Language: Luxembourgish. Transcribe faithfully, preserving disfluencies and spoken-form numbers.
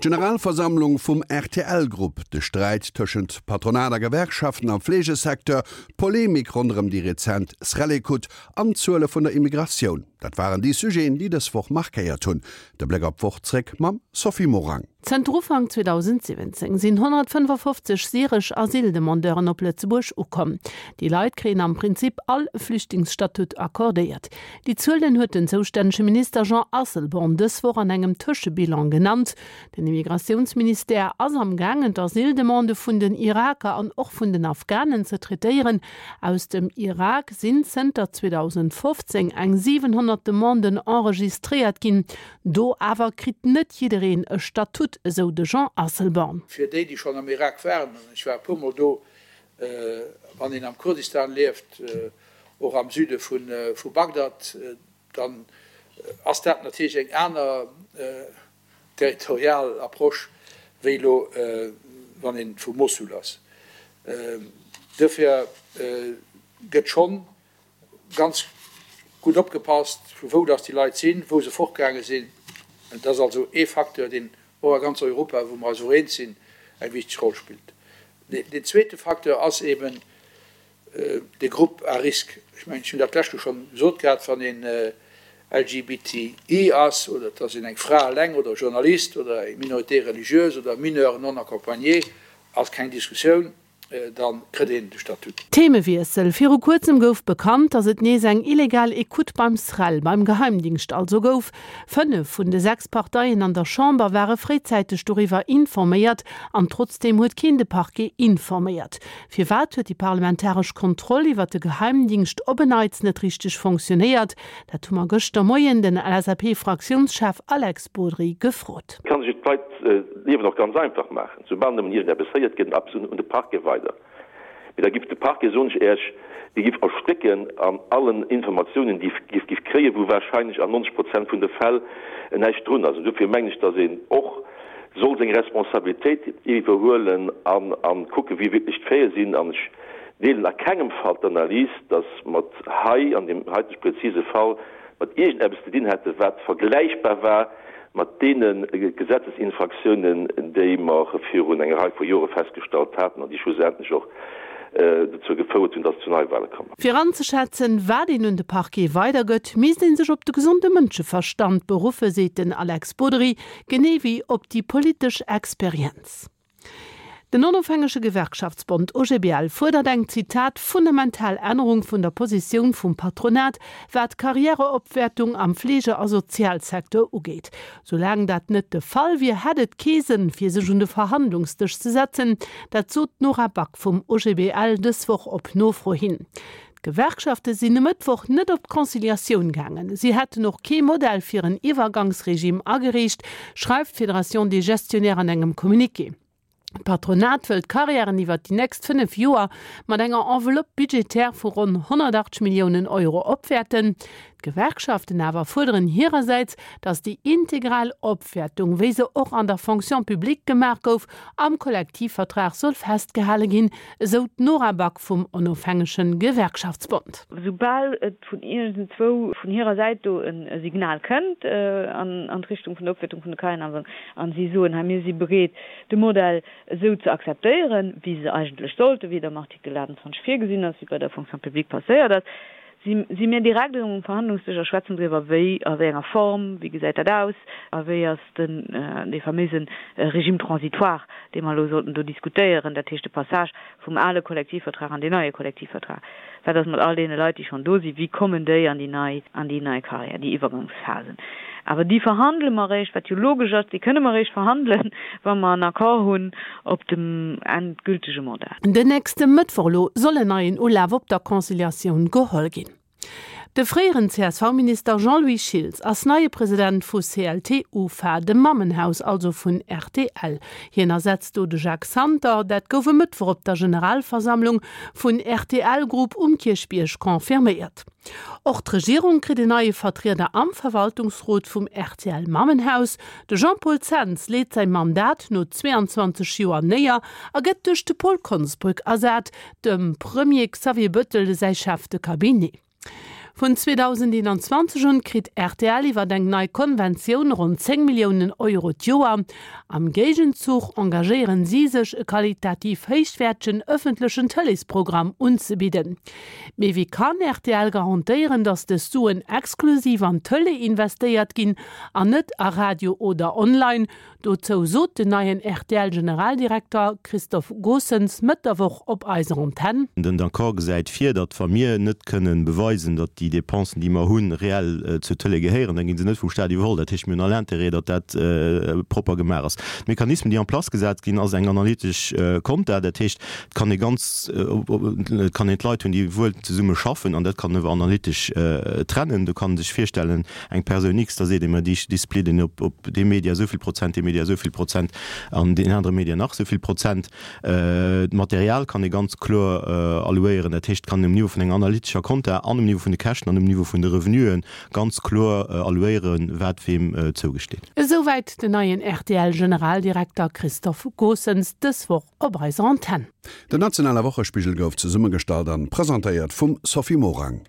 D'Generalversammlung vum rtl Group, de Sträit tëschent Patronat a Gewerkschaften am Fleegesecteur, d'Polemik ronderëm déi rezent SREL-Ecoute an d'Zuele vun der Immigratioun, dat waren déi Sujeten, déi dës Woch markéiert hunn. De Bléck op d'Woch zréck mam Sophie Morang. Zënter Ufank zweedausendsiwwenzéng sinn honnertfënnefafofzeg syresch Asyldemandeuren op Lëtzebuerg ukomm. Déi Leit kréien am Prinzip all e Flüchtlingsstatut accordéiert. Déi Zuelen huet den zoustännege Minister Jean Asselborn dës Woch an engem Tëschebilan genannt. Den Immigratiounsministère ass am gaangen d'Asyldemandë vun den Iraker an och vun den Afghanen ze traitéieren. Aus dem Irak sinn zënter zweedausendfofzéng eng siwenhonnert Demanden enregistréiert ginn. Do awer kritt net jiddereen e Statut, esou de Jean Asselborn. Fir déi, déi schonn am Irak waren, an ech war e puermol do, wann een am Kurdistan lieft, och am Süde vu Bagdad, dann ass dat natierlech eng aner territorial Approche wéi elo wann ee vu Mossul ass. Duerfir gëtt schonn ganz gutt opgepasst, vu wou dass déi Leit sinn, wou se fortgaange sinn. Et ass also ee Facteur, deen och a ganz Europa, wou mer eis och eens sinn, eng wichteg Roll spillt. Deen zweete Facteur ass eben de Groupe à risque. Ech mengen, ech hunn dat d'lescht Joer schonn gesot gehat, wann een L G B T I ass oder et ass een eng Fra eleng oder e Journalist oder eng Minorité religieuse oder Mineur non accompagné, ass keng Diskussioun, da kritt een de Statut. Themewiessel, Viru kuerzem gouf bekannt, datt et nees eng illegal Ecoute beim SREL, beim Geheimdingscht also, gouf. Fënnef vun de sechs Parteien an der Chamber ware fréizäiteg doriwwer informéiert an trotzdeem huet keen de Parquet informéiert. Firwat huet déi parlamentaresch Kontroll iwwer de Geheimdingscht op en Neits net richteg fonctionnéiert? Dat hu mer gëschter Moien den L S A P-Fraktiounschef Alex Bodry gefrot. Kann sech d'Leit d'Liewen och ganz einfach maachen. Soubal nëmmen iergendeppes héiert, geet en eppes un de Parquet weider. Mee da giff de Parquet, soen ech Iech, dee giff erstécken an allen Informatiounen, déi giff giff kréien, wou wahrscheinlech an nonzeg Prozent vun de Fäll näischt drun ass. An dofir mengen ech, datt een och soll seng Responsabilitéit iwwerhuelen an an kucken, wéi wierklech d'Faite sinn. An ech deelen a kengem Fall d'Analys, datt mer hei an deem heitege präzise Fall mat iergendeppes ze dinn hätten, wat vergläichbar war mat deene Gesetzesinfraktiounen, déi mer virun enger Rei vu Jore festgestallt haten an déi schlussendlech och dozou gefouert hunn, dass et zu Neiwahle komm ass. Fir anzeschätzen, wat een un de Parquet weidergëtt, misst ee sech op de gesonde Mënscheverstand beruffe, seet den Alex Bodry, genee wéi op déi politesch Experienz. Den onofhängege Gewerkschaftsbond O G B L fuerdert eng, Zitat, fundamental Ännerung vun der Positioun vum Patronat, wat d'Karriäreopwäertung am Fleege a Sozialsecteur ugeet. Soulaang dat net de Fall wier, hätt et kee Sënn, fir sech un de Verhandlungsdësch ze setzen. Dat sot d'Nora Back vum O G B L dës Woch op Nofro hin. D'Gewerkschafte sinn e Mëttwoch net op d'Conciliatioun gaangen. Si hätten och kee Modell fir en Iwwergangsregime agereecht, schreift d'Fédération des gestionnaires an engem Communiqué. D'Patronat wëllt d'Karriären iwwer déi nächst fënnef Joer mat enger Enveloppe budgétaire vu ronn honnertachtzeg Milliounen Euro opwäerten. D'Gewerkschaften awer fuerderen hirersäits, datt déi integral Opwäertung, wéi se och an der Fonction publique gemaach gouf, am Kollektivvertrag soll festgehale ginn, esou d'Nora Back vum onofhängege Gewerkschaftsbond. Soubal et vun iergendzwou vun hirer Säit do e Signal kënnt an d'Richtung vun der Opwäertung vun de Karriären an si soen, hei mir si bereet de Modell esou ze akzeptéieren, wéi se eigentlech sollte, wéi et am Artikel achtundzwanzeg virgesinn ass, wéi bei der Fonction publique passéiert ass, si mir direkt erëm um Verhandlungsdësch a schwätzen driwwer, wéi, a wéi enger Form, wéi gesäit dat aus a wéi ass den dee faméise Régime transitoire, dee mer elo sollten do diskutéieren, dat heescht de Passage vum ale Kollektivvertrag an deen neie Kollektivvertrag. Wat ass mat all deene Leit, déi schonn do sinn, wéi kommen déi an déi nei, an déi nei Carrière, déi Iwwergangsphasen? Awer déi verhandele mer eréischt, wat jo logesch ass, déi kënne mer eréischt verhandelen, wa mer en Accord hunn op dem endgültege Modell. Den nächste Mëttwoch elo soll en neien Ulaf op der Conciliatioun geholl ginn. De fréieren C S V-Minister Jean-Louis Schiltz ass neie President vu C L T U F A, dem Mammenhaus also vun R T L. Hien ersetzt do de Jacques Santer. Dat gouf e Mëttwoch op der Generalversammlung vun R T L Group um Kierchbierg confirméiert. Och d'Regierung kritt en neie Vertrieder am Verwaltungsrot vum R T L Mammenhaus. De Jean-Paul Zens leet säi Mandat no zweeanzwanzeg Joer néier a gëtt duerch de Paul Konsbrück ersat, dem Premier Xavier Bettel säi Chef de Cabinet. Vun zweedausendeenanzwanzeg un kritt rtl iwwer eng nei Konventioun ronn zéng Milliounen Euro d'Joer. Am Géigenzuch engagéieren si sech, e qualitativ héichwäertegen ëffentlechen Tëleesprogramm unzebidden. Mee wéi kann rtl garantéieren, datt dës Suen exklusiv an d'Tëlee investéiert ginn an net a Radio oder Online? Dozou sot den neien RTL-Generaldirekter Christophe Goossens Mëtt der Woch op eiser Antenn. Den Accord gesäit vir, datt wa mir net kënnen beweisen, datt déi Dépensen, déi mer hunn, reell zur Tëlee gehéieren, da gi se net vum Staat iwwerholl. Dat heescht, mir hunn all Intérêt, datt dat propper gemaach ass. D'Mechanismen, déi en place gesat ginn, ass eng analytesch Compta. Dat heescht, et kann ee ganz, et kann een d'Leit hunn, déi wuel zesumme schaffen, an dat kann een awer analytesch trennen. Do kann ee sech virstellen, eng Persoun X, da seet ee mer, déi splidden op dee Media esou vill Prozent, dee Media esou vill Prozent an deen anere Media nach esou vill Prozent. D'Material kann ee ganz kloer allouéieren. Dat heescht, et kann een um Niveau vun enger analytescher Compta an um Niveau vun de Käschten an um Niveau vun de Revenuen ganz kloer allouéieren, wat weem zougesteet. Esouwäit den neien RTL-Generaldirekter Christophe Goossens dës Woch op eiser Antenn. Den nationale Wochespigel gouf zesummegestallt an presentéiert vum Sophie Morang.